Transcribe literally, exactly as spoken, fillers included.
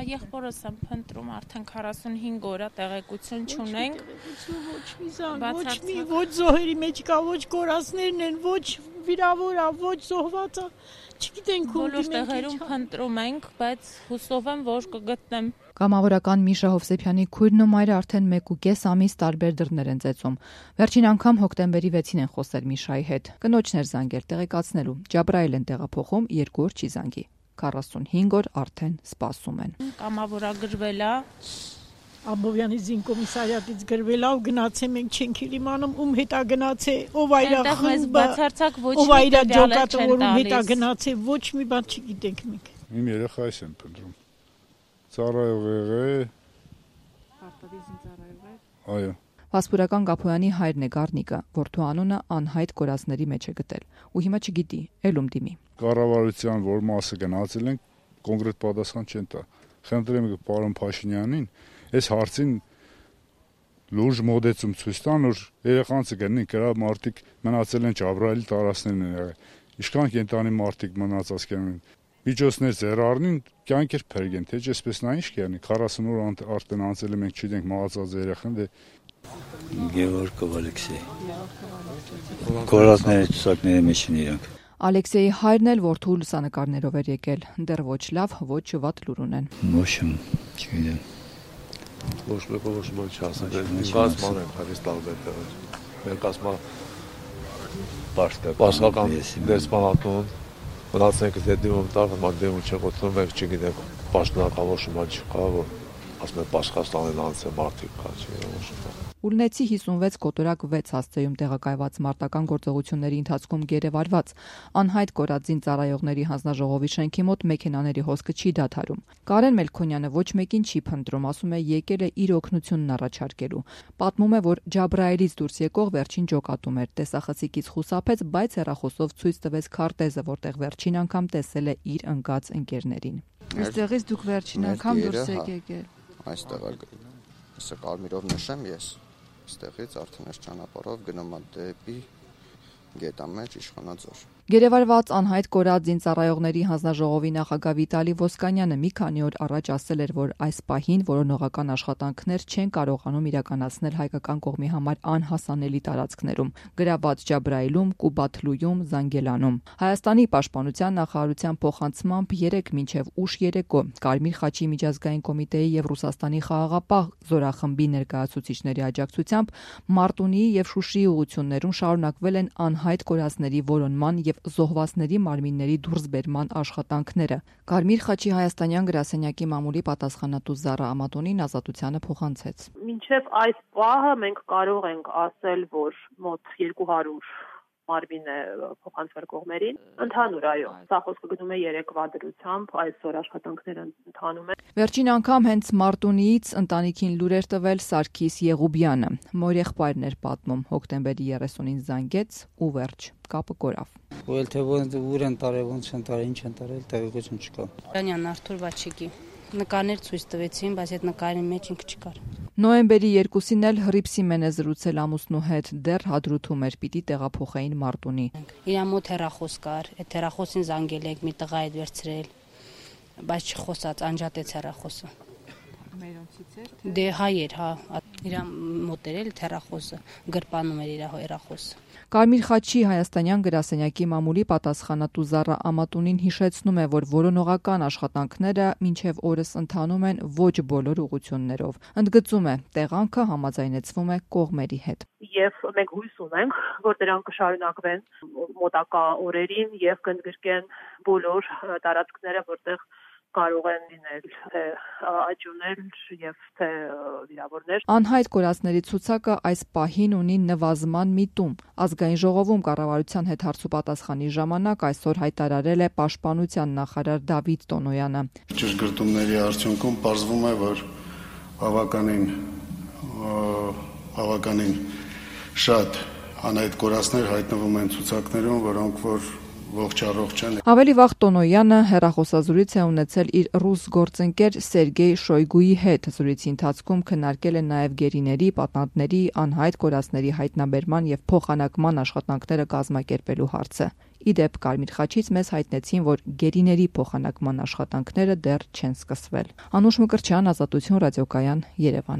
եղբորս եմ փնտրում արդեն քառասունհինգ օր է տեղեկություն չունենք։ Ոչ մի զանգ, ոչ մի ոչ զոհերի մեջ կա, ոչ կորածներն են, ոչ վիրավորա, ոչ զոհվածա։ Չգիտենք ում բոլոր տեղերում փնտրում ենք, բայց հուսով եմ, որ կգտնեմ։ Կամավորական Միշա Հովսեփյանի քույրն ու մայրը արդեն մեկ ու կես ամիս տարբեր դռներ են ծեծում։ Վերջին անգամ հոկտեմբերի վեցին են խոսել Միշայի հետ։ Կնոջն էր զանգել տեղեկացնելու։ Ջաբրայել են տեղափոխում, երկու օր չի զանգի։ քառասունհինգ օր արդեն սպասում են։ Կամավորագրվել է։ Աբովյանի զինկոմիսարիատից գրվել է ու գնացե մենք չենք իմանում ում հետա գնացե, ով այրա խմբը, ով այրա ջոկատը, որ ում հետա գնացե, ոչ մի բան չգիտենք մենք։ Իմ երեխայս եմ փնտրում։ Ծառայող եղե։ Պարտադիր զինծառայող է։ Այո։ Վասպուրական Գափոյանի հայրն է Գառնիկը, որդու անունը անհայտ կորածների մեջ է գտել ու հիմա չգիտի, ելում դիմի։ Կառավարության որ մասը գնացել են, կոնկրետ պատասխան չեն տա։ Խնդրեմ պարոն Փաշինյանին, այս հարցին լուրջ մոդեցում ցույց տան, որ երեխանցը գտնի կրա մարդիկ մնացել են Ջաբրայելի տարածքներն են եղել։ Ինչքան կենտանի մարդիկ մնացած կան։ Միջոցներ ձեռ առնին, կյանքեր փրկեն, թե այսպես նա ինչ կանի, քառասուն օր արդեն անցել է, մենք չգիտենք մահացած երեխան, դե Գևորգով Ալեքսեյ։ Կորածների ցուցակների մեջ են իրանք։ Ալեքսեյի հայրն էլ որդու լուսանկարներով էր եկել, դեռ ոչ լավ, ոչ վատ լուր ունեն։ Ոչմ, չգիտեմ։ Ոչ մեկը ոչ մի չասել, ինքասման են հարից տարբեր տեղեր։ Մեր կազմա պաշտպանական դեսպանատուն մնացենք դեպքում տալ, մանդեմ չգոտում եք, չգիտեք, պաշտոնական ոչ մի չկա, որ ասում են Պաշխաստանին անցե մարդիկ կա, չգիտեմ ոչ մի։ Ուլնեցի հիսունվեց կոտորակ վեց հասցեում տեղակայված մարտական գործողությունների ընթացքում գերեվարված անհայտ կորած զինծառայողների հանձնաժողովի շենքի մոտ մեքենաների հոսքը չի դադարում։ Կարեն Մելքոնյանը ոչ մեկին չի փնտրում, ասում է եկել է իր օգնությունն առաջարկելու։ Պատմում է, որ Ջաբրայելից դուրս եկող վերջին ջոկատում էր, տեսախցիկից խուսափեց, բայց հեռախոսով ցույց տվեց քարտեզը, որտեղ վերջին անգամ տեսել է իր ընկած ընկերներին։ Այստեղից դուք վերջին անգամ դուրս եք եկել։ Այստեղ ասա կարմիրով նշեմ ես։ Այստեղից արդեն այս ճանապարհով գնում եմ դեպի Գետամեջ Իշխանաձոր։ Գերեվարված անհայտ կորած զինծառայողների հանձնաժողովի նախագահ Վիտալի Ոսկանյանը մի քանի օր առաջ ասել էր, որ այս պահին որոնողական աշխատանքներ չեն կարողանում իրականացնել հայկական կողմի համար անհասանելի տարածքներում՝ գրաված Ջաբրայիլում, Կուբաթլույում, Զանգելանում։ Հայաստանի պաշտպանության նախարարության փոխանցմամբ երեկ մինչև ուշ երեկո Կարմիր խաչի միջազգային կոմիտեի եւ Ռուսաստանի խաղաղապահ զորախմբի ներկայացուցիչների աջակցությամբ Մարտունիի եւ Շուշիի ուղություններում շարունակվել են անհայտ կորածների որոնման եւ զոհվածների մարմինների դուրսբերման աշխատանքները։ Կարմիր խաչի հայաստանյան գրասենյակի մամուլի պատասխանատու Զարա Ամատոնին Ազատությանը փոխանցեց։ Մինչև այս պահը մենք կարող ենք ասել, որ մոտ երկու հարյուր մարմին է փոխանցվել կողմերին։ Ընդհանուր այո, սա խոսքը գնում է երեկվա դրությամբ, այսօր աշխատանքները ընթանում են։ Վերջին անգամ հենց Մարտունիից ընտանիքին լուր էր տվել Սարգիս Եղուբյանը։ Մորեղբայրն էր պատմում, հոկտեմբերի երեսունին զանգեց ու վերջ, կապը կորավ։ Ու էլ թե ուր են տարել, ոնց են տարել, ինչ են տարել, տեղեկություն չկա։ Դանյան Արթուր Վաչիկի նկարներ ցույց տվեցին, բայց այդ նկարի մեջ ինքը չկար։ Նոյեմբերի երկուսին էլ Հռիփսիմեն է զրուցել ամուսնու հետ, դեռ հադրութում էր, պիտի տեղափոխեին Մարտունի։ Իր մոտ հեռախոս կար, այդ հեռախոսին զանգել եք, մի տղա այդ վերցրել, բայց չխոսած, անջատեց հեռախոսը։ Մերոնցից էր։ Դե հայեր, հա, իր մոտ էր էլ հեռախոսը, գրպանում էր իր հեռախոսը։ Կարմիր խաչի հայաստանյան գրասենյակի մամուլի պատասխանատու Զարա Ամատունին հիշեցնում է, որ որոնողական աշխատանքները մինչև օրս ընթանում են ոչ բոլոր ուղություններով։ Ընդգծում է, տեղանքը համաձայնեցվում է կողմերի հետ։ Եվ մենք հույս ունենք, որ դրանք կշարունակվեն մոտակա օրերին եւ կընդգրկեն բոլոր տարածքները, որտեղ կարող են լինել թե աճուներ եւ թե վիրավորներ։ Անհայտ կորածների ցուցակը այս պահին ունի նվազման միտում։ Ազգային ժողովում կառավարության հետ հարցուպատասխանի ժամանակ այսօր հայտարարել է պաշտպանության նախարար Դավիթ Տոնոյանը։ Ճշգրտումների արդյունքում պարզվում է, որ բավականին բավականին շատ անհայտ կորածներ հայտնվում են ցուցակներում, որոնք որ ողջ առողջ են։ Ավելի վաղ Տոնոյանը հեռախոսազրույց է ունեցել իր ռուս գործընկեր Սերգեյ Շոյգուի հետ։ Զրույցի ընթացքում քննարկել են նաև գերիների, պատանդների, անհայտ կորածների հայտնաբերման եւ փոխանակման աշխատանքները կազմակերպելու հարցը։ Ի դեպ, Կարմիր խաչից մեզ հայտնեցին, որ գերիների փոխանակման աշխատանքները դեռ չեն սկսվել։ Անուշ Մկրտչյան, Ազատություն ռադիոկայան, Երևան։